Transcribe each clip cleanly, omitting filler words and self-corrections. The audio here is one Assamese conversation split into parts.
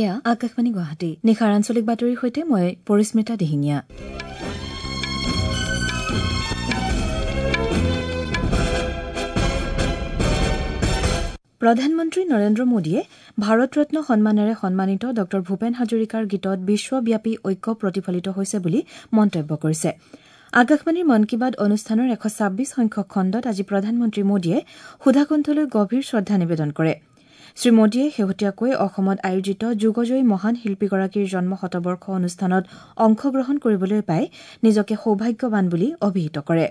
এয়া আকাশবাণী গুৱাহাটী। নিশাৰ আঞ্চলিক বাতৰিৰ সৈতে মই পৰিস্মিতা দিহিঙীয়া। প্ৰধানমন্ত্ৰী নৰেন্দ্ৰ মোদীয়ে ভাৰতৰত্ন সন্মানেৰে সন্মানিত ডঃ ভূপেন হাজৰিকাৰ গীতত বিশ্বব্যাপী ঐক্য প্ৰতিফলিত হৈছে বুলি মন্তব্য কৰিছে। আকাশবাণীৰ মন কী বাত অনুষ্ঠানৰ ১২৬ সংখ্যক খণ্ডত আজি প্ৰধানমন্ত্ৰী মোদীয়ে সুধাকণ্ঠলৈ গভীৰ শ্ৰদ্ধা নিবেদন কৰে। শ্ৰীমোদীয়ে শেহতীয়াকৈ অসমত আয়োজিত যুগজয়ী মহান শিল্পীগৰাকীৰ জন্ম শতবৰ্ষ অনুষ্ঠানত অংশগ্ৰহণ কৰিবলৈ পাই নিজকে সৌভাগ্যৱান বুলি অভিহিত কৰে।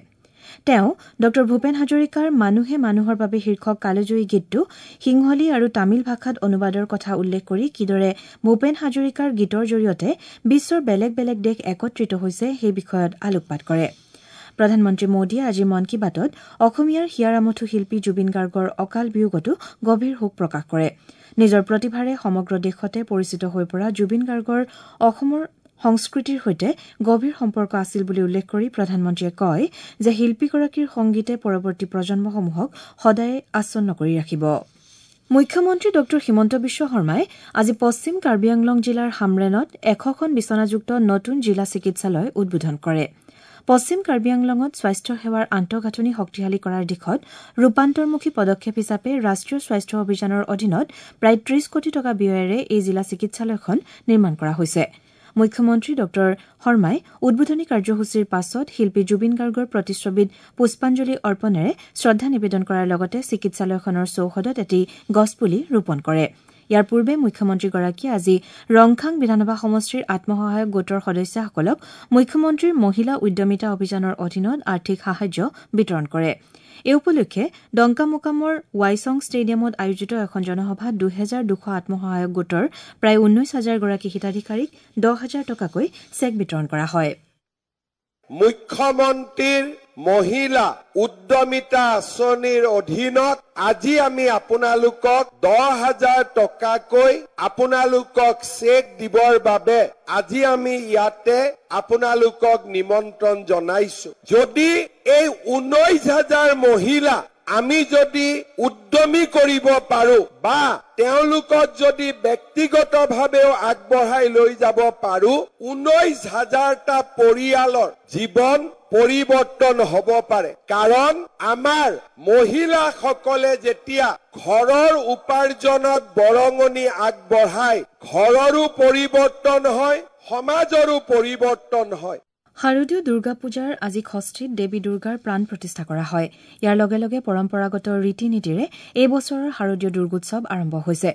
তেওঁ ডঃ ভূপেন হাজৰিকাৰ মানুহে মানুহৰ বাবে শীৰ্ষক কালজয়ী গীতটো সিংহলী আৰু তামিল ভাষাত অনুবাদৰ কথা উল্লেখ কৰি কিদৰে ভূপেন হাজৰিকাৰ গীতৰ জৰিয়তে বিশ্বৰ বেলেগ বেলেগ দেশ একত্ৰিত হৈছে সেই বিষয়ত আলোকপাত কৰে। প্ৰধানমন্ত্ৰী মোদীয়ে আজিৰ মন কী বাতত অসমীয়াৰ হিয়াৰ আমঠু শিল্পী জুবিন গাৰ্গৰ অকাল বিয়োগতো গভীৰ শোক প্ৰকাশ কৰে। নিজৰ প্ৰতিভাৰে সমগ্ৰ দেশতে পৰিচিত হৈ পৰা জুবিন গাৰ্গৰ অসমৰ সংস্কৃতিৰ সৈতে গভীৰ সম্পৰ্ক আছিল বুলি উল্লেখ কৰি প্ৰধানমন্ত্ৰীয়ে কয় যে শিল্পীগৰাকীৰ সংগীতে পৰৱৰ্তী প্ৰজন্মসমূহক সদায়ে আচ্ছন্ন কৰি ৰাখিব। মুখ্যমন্ত্ৰী ডঃ হিমন্ত বিশ্ব শৰ্মাই আজি পশ্চিম কাৰ্বি আংলং জিলাৰ হামৰেণত ১০০খন বিচনাযুক্ত নতুন জিলা চিকিৎসালয় উদ্বোধন কৰে। পশ্চিম কাৰ্বি আংলঙত স্বাস্থ্য সেৱাৰ আন্তঃগাঁথনি শক্তিশালী কৰাৰ দিশত ৰূপান্তৰমুখী পদক্ষেপ হিচাপে ৰাষ্ট্ৰীয় স্বাস্থ্য অভিযানৰ অধীনত প্ৰায় ৩০ কোটি টকা ব্যয়েৰে এই জিলা চিকিৎসালয়খন নিৰ্মাণ কৰা হৈছে। মুখ্যমন্ত্ৰী ডঃ শৰ্মাই উদ্বোধনী কাৰ্যসূচীৰ পাছত শিল্পী জুবিন গাৰ্গৰ প্ৰতিচ্ছবিত পুষ্পাঞ্জলি অৰ্পণেৰে শ্ৰদ্ধা নিবেদন কৰাৰ লগতে চিকিৎসালয়খনৰ চৌহদত এটি গছপুলি ৰোপণ কৰে। ইয়াৰ পূৰ্বে মুখ্যমন্ত্ৰীগৰাকীয়ে আজি ৰংখাং বিধানসভা সমষ্টিৰ আত্মসহায়ক গোটৰ সদস্যাসকলক মুখ্যমন্ত্ৰীৰ মহিলা উদ্যমিতা অভিযানৰ অধীনত আৰ্থিক সাহায্য বিতৰণ কৰে। এই উপলক্ষে ডংকামোকামৰ ৱাইচং ষ্টেডিয়ামত আয়োজিত এখন জনসভাত ২২০০ আত্মসহায়ক গোটৰ প্ৰায় ১৯ হাজাৰ গৰাকী হিতাধিকাৰীক ১০ হাজাৰ টকাকৈ চেক বিতৰণ কৰা হয়। মুখ্যমন্ত্ৰীৰ মহিলা উদ্যমিতা আঁচনিৰ অধীনত আজি আমি আপোনালোকক ১০,০০০ টকাকৈ আপোনালোকক চেক দিবৰ বাবে আজি আমি ইয়াতে আপোনালোকক নিমন্ত্ৰণ জনাইছো। যদি এই ১৯,০০০ মহিলা আমি যদি উদ্যমী কৰিব পাৰো বা তেওঁলোকক যদি ব্যক্তিগতভাৱেও আগবঢ়াই লৈ যাব পাৰো, ১৯,০০০টা পৰিয়ালৰ জীৱন পৰিৱৰ্তন হ'ব পাৰে। কাৰণ আমাৰ মহিলাসকলে যেতিয়া ঘৰৰ উপাৰ্জনত বৰঙণি আগবঢ়ায়, ঘৰৰো পৰিৱৰ্তন হয়, সমাজৰো পৰিৱৰ্তন হয়। শাৰদীয় দুৰ্গা পূজাৰ আজি ষষ্ঠীত দেৱী দুৰ্গাৰ প্ৰাণ প্ৰতিষ্ঠা কৰা হয়। ইয়াৰ লগে লগে পৰম্পৰাগত ৰীতি নীতিৰে এই বছৰৰ শাৰদীয় দুৰ্গোৎসৱ আৰম্ভ হৈছে।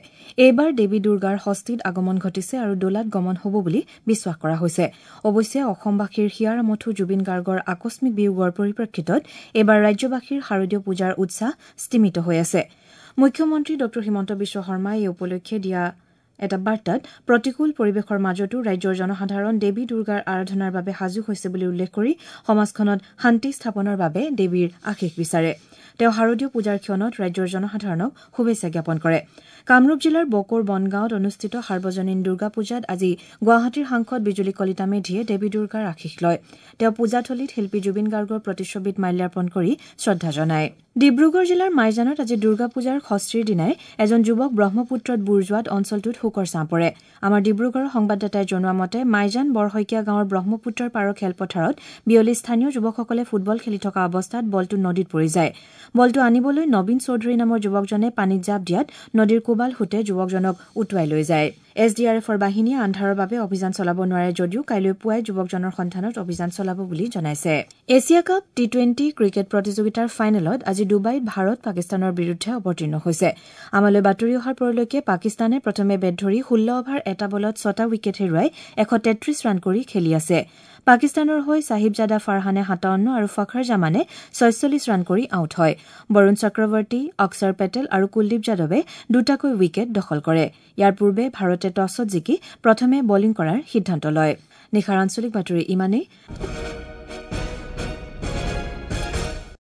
এইবাৰ দেৱী দুৰ্গাৰ ষষ্ঠীত আগমন ঘটিছে আৰু দোলাত গমন হ'ব বুলি বিশ্বাস কৰা হৈছে। অৱশ্যে অসমবাসীৰ হিয়াৰ আমঠু জুবিন গাৰ্গৰ আকস্মিক বিয়োগৰ পৰিপ্ৰেক্ষিতত এইবাৰ ৰাজ্যবাসীৰ শাৰদীয় পূজাৰ উৎসাহ স্তিমিত হৈ আছে। মুখ্যমন্ত্ৰী ডঃ হিমন্ত বিশ্ব শৰ্মাই এই উপলক্ষে দিয়া এটা বাৰ্তাত প্ৰতিকূল পৰিৱেশৰ মাজতো ৰাজ্যৰ জনসাধাৰণ দেৱী দুৰ্গাৰ আৰাধনাৰ বাবে সাজু হৈছে বুলি উল্লেখ কৰি সমাজখনত শান্তি স্থাপনৰ বাবে দেৱীৰ আশীষ বিচাৰে। তেওঁ শাৰদীয় পূজাৰ ক্ষণত ৰাজ্যৰ জনসাধাৰণক শুভেচ্ছা জ্ঞাপন কৰে। কামৰূপ জিলাৰ বকোৰ বনগাঁৱত অনুষ্ঠিত সাৰ্বজনীন দুৰ্গা পূজাত আজি গুৱাহাটীৰ সাংসদ বিজুলী কলিতা মেধিয়ে দেৱী দুৰ্গাৰ আশীষ লয়। তেওঁ পূজাথলীত শিল্পী জুবিন গাৰ্গৰ প্ৰতিচ্ছবিত মাল্যাৰ্পণ কৰি শ্ৰদ্ধা জনায়। ডিব্ৰুগড় জিলাৰ মাইজানত আজি দুৰ্গা পূজাৰ ষষ্ঠীৰ দিনাই এজন যুৱক ব্ৰহ্মপুত্ৰত বুৰ যোৱাত অঞ্চলটোত শোকৰ ছাঁ পৰে। আমাৰ ডিব্ৰুগড়ৰ সংবাদদাতাই জনোৱা মতে মাইজান বৰশইকীয়া গাঁৱৰ ব্ৰহ্মপুত্ৰৰ পাৰৰ খেলপথাৰত বিয়লি স্থানীয় যুৱকসকলে ফুটবল খেলি থকা অৱস্থাত বলটো নদীত পৰি যায়। বলটো আনিবলৈ নবীন চৌধুৰী নামৰ যুৱকজনে পানীত জাঁপ দিয়াত নদীৰ কোবাল সোঁতে যুৱকজনক উটুৱাই লৈ যায়। এছ ডি আৰ এফৰ বাহিনীয়ে আন্ধাৰৰ বাবে অভিযান চলাব নোৱাৰে যদিও কাইলৈ পুৱাই যুৱকজনৰ সন্ধানত অভিযান চলাব বুলি জনাইছে। এছিয়া কাপ টি-২০ ক্ৰিকেট প্ৰতিযোগিতাৰ ফাইনেলত আজি ডুবাইত ভাৰত পাকিস্তানৰ বিৰুদ্ধে অৱতীৰ্ণ হৈছে। আমালৈ বাতৰি অহাৰ পৰলৈকে পাকিস্তানে প্ৰথমে বেট ধৰি ১৬ অভাৰ এটা বলত ৬টা উইকেট হেৰুৱাই ১৩৩ ৰান কৰি খেলি আছে। পাকিস্তানৰ হৈ চাহিবজাদা ফাৰহানে ৫৭ আৰু ফখৰ জামানে ৪৬ ৰান কৰি আউট হয়। বৰুণ চক্ৰৱৰ্তী, অক্ষৰ পেটেল আৰু কুলদীপ যাদৱে দুটাকৈ উইকেট দখল কৰে। ইয়াৰ পূৰ্বে ভাৰতে টছত জিকি প্ৰথমে বলিং কৰাৰ সিদ্ধান্ত লয়। নিশাৰ আঞ্চলিক বাতৰি ইমানেই।